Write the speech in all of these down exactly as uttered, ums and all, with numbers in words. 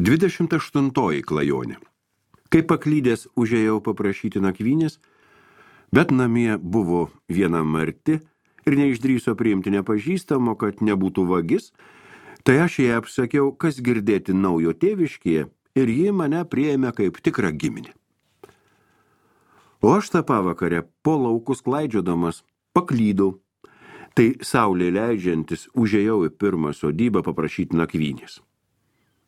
Dvidešimt aštuntoji klajonė. Kai paklydęs užėjau paprašyti nakvynės, bet namie buvo viena marti ir neišdryso priimti nepažįstamo, kad nebūtų vagis, tai aš jai apsakiau, kas girdėti naujo tėviškėje, ir ji mane priėmė kaip tikrą giminę. O aš tą pavakarę po laukus klaidžiodamas paklydau, tai saulė leidžiantis užėjau į pirmą sodybą paprašyti nakvynės.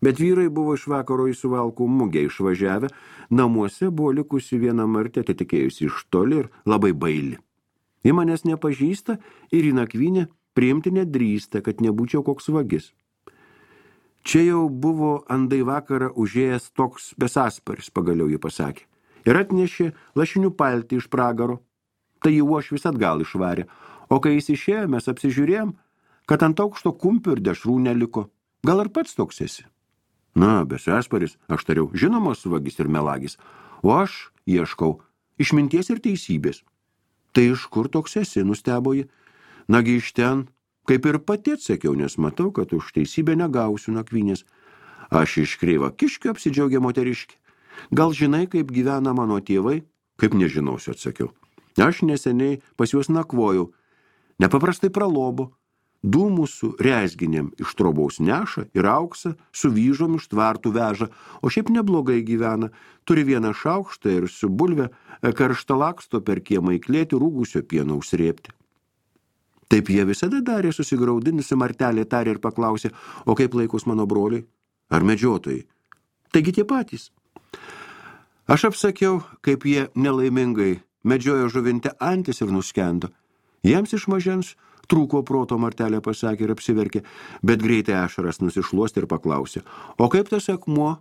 Bet vyrai buvo iš vakaro į Suvalkų mugę išvažiavę, namuose buvo likusi viena martė, atitikėjusi iš toli ir labai baili. Ji manęs nepažįsta ir į nakvynę priimti nedrįsta, kad nebūčiau koks vagis. Čia jau buvo andai vakarą užėjęs toks besasparis, pagaliau ji pasakė, ir atnešė lašinių paltį iš pragaro. Tai jį uošvis atgal išvarė, o kai jis išėjo, mes apsižiūrėjom, kad ant aukšto kumpių ir dešrų neliko. Gal ir pats toks esi? Na, besasparis, aš tariau, žinomas vagis ir melagis, o aš ieškau išminties ir teisybės. Tai iš kur toks esi, nustebo ji? Nagi iš ten, kaip ir pati atsakiau, nes matau, kad už teisybę negausiu nakvynės. Aš iš kreiva kiškio apsidžiaugė moteriškį. Gal žinai, kaip gyvena mano tėvai? Kaip nežinausiu, atsakiau. Aš neseniai pas juos nakvojau. Nepaprastai pralobo. Dūmų su rezginėm iš trobaus neša ir auksą su vyžom iš tvartų veža, o šiaip neblogai gyvena. Turi vieną šaukštą ir su bulve karštą laksto per kiemą įklėti rūgusio pieno užsrėpti. Taip jie visada darė, susigraudinusi martelė tarė ir paklausė, o kaip laikus mano broliai? Ar medžiotojai? Taigi tie patys. Aš apsakiau, kaip jie nelaimingai medžiojo žuvinte antis ir nuskendo. Jiems iš mažens trūko proto, martelė pasakė ir apsiverkė, bet greitai ašaras nusišluosti ir paklausė, o kaip tas akmuo,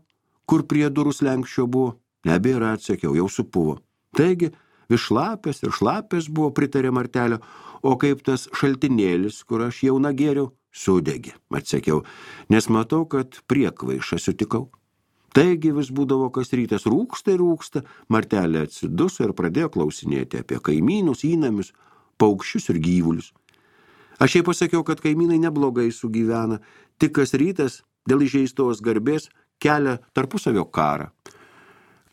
kur prie durų slenkščio buvo? Nebėra, atsakiau, jau supuvo. Taigi, vis šlapės ir šlapės buvo, pritarė martelio, o kaip tas šaltinėlis, kur aš jau nagėriau, sudegė, atsakiau, nes matau, kad priekvaišą sutikau. Taigi vis būdavo kas rytas rūksta ir rūksta, martelė atsiduso ir pradėjo klausinėti apie kaimynus, įnamius, paukščius ir gyvulius. Aš jai pasakiau, kad kaimynai neblogai sugyvena, tik kas rytas dėl įžeistos garbės kelia tarpusavio karą.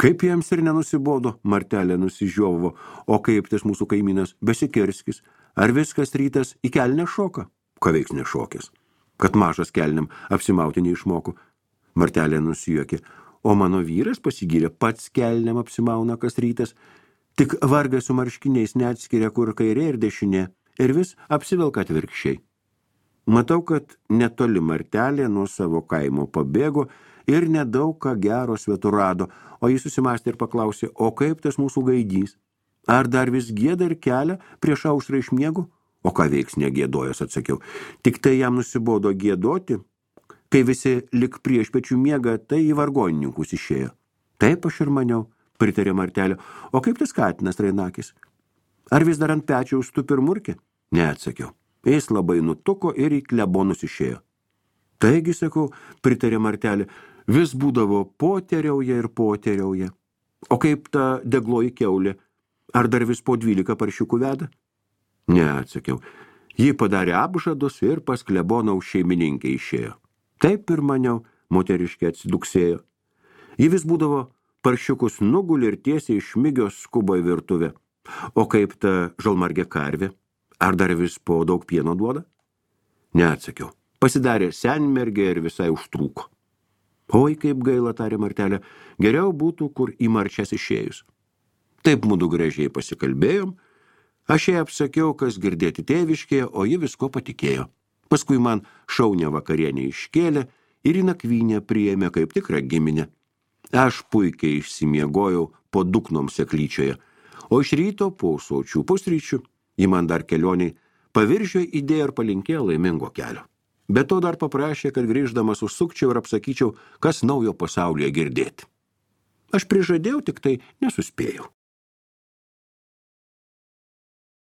Kaip jiems ir nenusibodo, martelė nusižiovo, o kaip tas mūsų kaimynas besikirskis, ar viskas rytas į kelnę šoka? Ką veiks nešokės? Kad mažas kelniam apsimauti neišmoku. Martelė nusijuokė, o mano vyras pasigyrė, pats kelniam apsimauna kas rytas, tik vargas su marškiniais neatskiria, kur kairė ir dešinė. Ir vis apsivelka atvirkščiai. Matau, kad netoli martelė nuo savo kaimo pabėgo ir nedaug ką gero svetur rado, o jis susimastė ir paklausė, o kaip tas mūsų gaidys? Ar dar vis gieda ir kelia prieš aušrą iš miego? O ką veiks negėdojęs, atsakiau. Tik tai jam nusibodo giedoti, kai visi lik prieš pečių miega, tai į vargonininkus išėjo. Taip aš ir maniau, pritarė martelė. O kaip tas katinas Rainakis? Ar vis dar ant pečiaus tupi ir murkė? Ne, atsakiau. Jis labai nutuko ir į klebonus išėjo. Taigi, sakau, pritarė martelė, vis būdavo poteriauja ir poteriauja. O kaip ta degloji kiaulė? Ar dar vis po dvylika paršiukų veda? Ne, atsakiau. Ji padarė apžadus ir pas klebonaus šeimininkę išėjo. Taip ir maniau, moteriškė atsiduksėjo. Ji vis būdavo paršiukus nugulė ir tiesiai iš migios skubo į virtuvę. O kaip ta žalmargė karvė? Ar dar vis po daug pieno duoda? Neatsakiau. Pasidarė senmergė ir visai užtrūko. Oi, kaip gaila, tarė martelė, geriau būtų, kur į marčias išėjus. Taip mudu gražiai pasikalbėjom, aš jai apsakiau, kas girdėti tėviškėje, o ji visko patikėjo. Paskui man šaunę vakarienę iškėlė ir į nakvynę priėmė kaip tikrą giminę. Aš puikiai išsimiegojau po duknom seklyčioje, o iš ryto po sočių pusryčių ji man dar kelioniai paviržio idėją ir palinkėjo laimingo kelio. Be to dar paprašė, kad grįždamas užsukčiau ir apsakyčiau, kas naujo pasaulyje girdėti. Aš prižadėjau, tik tai nesuspėjau.